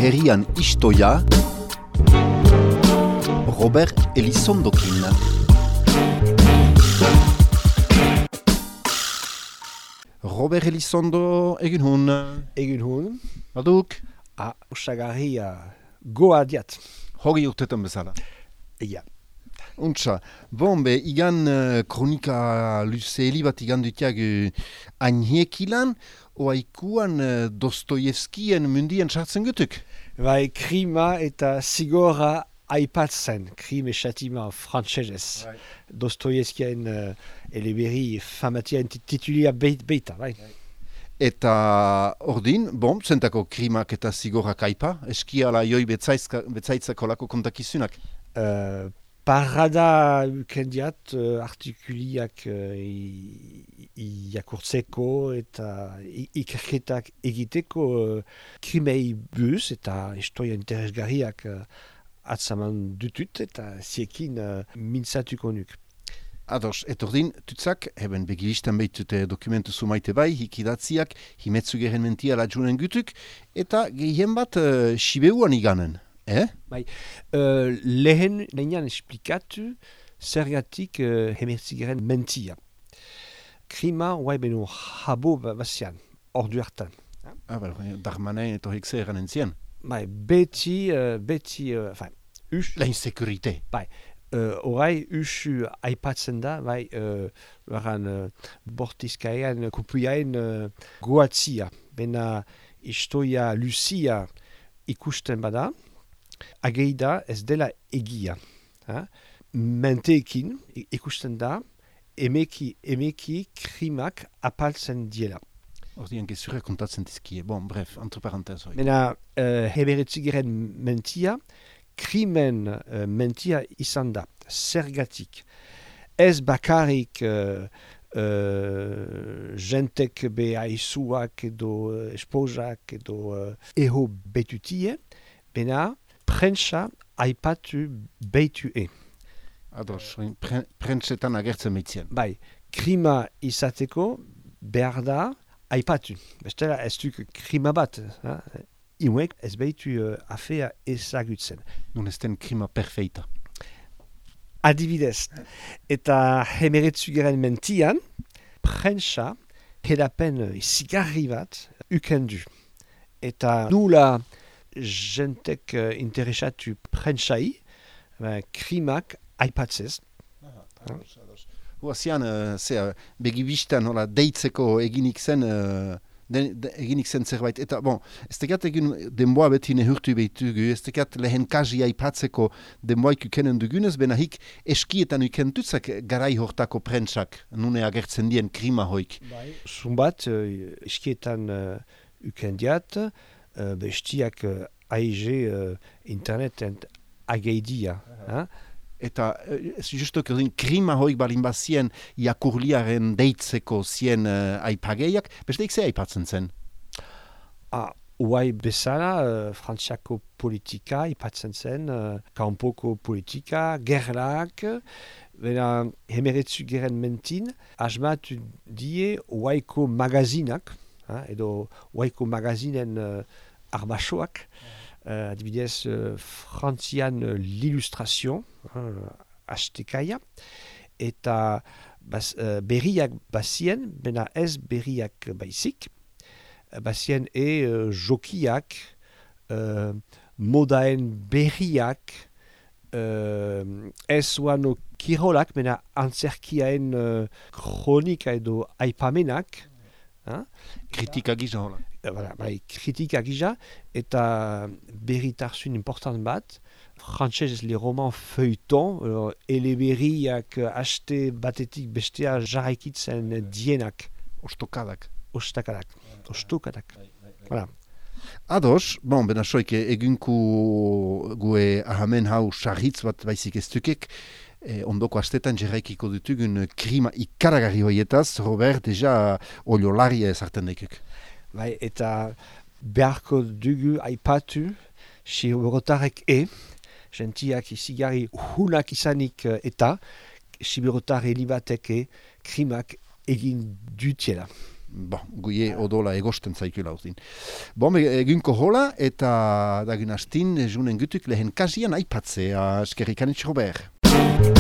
herrian istoia, Robert Elizondokin. Robert Elizondo, egin hun. Egin hun. Baduk? Osagarri goa diat. Hogei urtetan bezala. Ja. Untsa, igan kronika luzeeli bat igan dutiag agnhekilan, oaikuan Dostoyevskien mundien sartzen gutuk? Bai, krima eta zigorra aipatzen, krim et châtiment frantsesez. Right. Dostoyevskien eleberri famatian titulia beita, bai. Eta ordin, zentako krimak eta zigorrak aipa, eskiala joi betzaitzako lako kontakizunak? Parada ukendiat artikuliak iakurtzeko eta ikerketak egiteko krimei buz eta historia interesgarriak atzaman dutut eta ziekin mintzatuko nuk. Ados, etordin, tutzak, eben begiristan behitute dokumentu sumaite bai, hikidatziak, himetzu geren mentia ladjunen gutuk, eta gehien bat Sibeuan iganen. Bai, lehen nahian esplikatu zergatik hemerzigeren mentia. Krima huai beno habo bazian, ordu hartan. Darmanen eto hekse eran entzien. Bai, beti, La insekurite. Bai, orai usu aipatzen da, bai, bortizkaean, kupuiaen goatzia. Bena historia luzia ikusten bada, ageida ez dela egia. Menteekin ikusten da, emeki krimak apaltzen diela. Ordian gezurra kontatzen dizkie. Bref, entre parenthèses. Mena heberetzigeren mentia, krimen mentia izan da, zergatik. Ez bakarrik jentek be aizuak edo esposak edo eho betutie, bena prentsa aipatu beitue. Ados, prentsetan agertzen meitzien. Bai, krima izateko behar da aipatu. Bestela ez duk krima bat. Iuek ez behitu afea ezagutzen. Nun ez den krima perfeita. Adibidez. Eta hemeretzugeren mentian, prentsa hedapen zigarri bat ukendu. Eta nula jentek interesatu prentsai, krimak aipatzez. Huazian, begibistan deitzeko eginik zen zerbait. Eta, ez tekat egin denboa beti nehurtu behitugu, ez tekat lehen kazi aipatzeko denboaik ukenen dugunez, benahik eskietan ukentutzak garai hortako prentsak, nune agertzen dien krima hoik. Zumbat, eskietan ukendiat, bestiak AIG interneten ageidia. Eta, justo krima hoik balin bazien jakurliaren deitzeko zien aipageiak, besteik ze aipatzen zen? Uai bezala, frantziako politika aipatzen zen, kanpoko politika, gerlak, bena hemeretzu geren mentin, asmatu die uaiko magazinak, edo uaiko magazinen arbasoak, adibidez frantzian l'illustration, hastekaia, eta berriak bazien, bena ez berriak baizik, bazien jokiak, modaen berriak, ez oano kirolak, bena antzerkiaen kronika edo aipamenak, kritika gisa hola. Kritika gisa, eta berritarzun important bat, frantsesez le roman feuilleton, eleberriak haste batetik bestea jarraikitzen dienak. Ostokadak. Voilà. Ados, bena soik egunku gue ahamen hau sarritz bat baizik ez dukek, ondoko astetan jarraikiko dutugun krima ikaragarri hoietaz, Robert, deja oliolaria ezarten daikuk. Bai, eta beharko dugu aipatu, siberotarek gentiak izigarri hunak izanik eta siberotar helibatek krimak egin dutiela. guie odola egosten zaikula uzin. Egunko hola, eta dagin astin, junen gutuk lehen kasian aipatzea, eskerrik anitz Robert.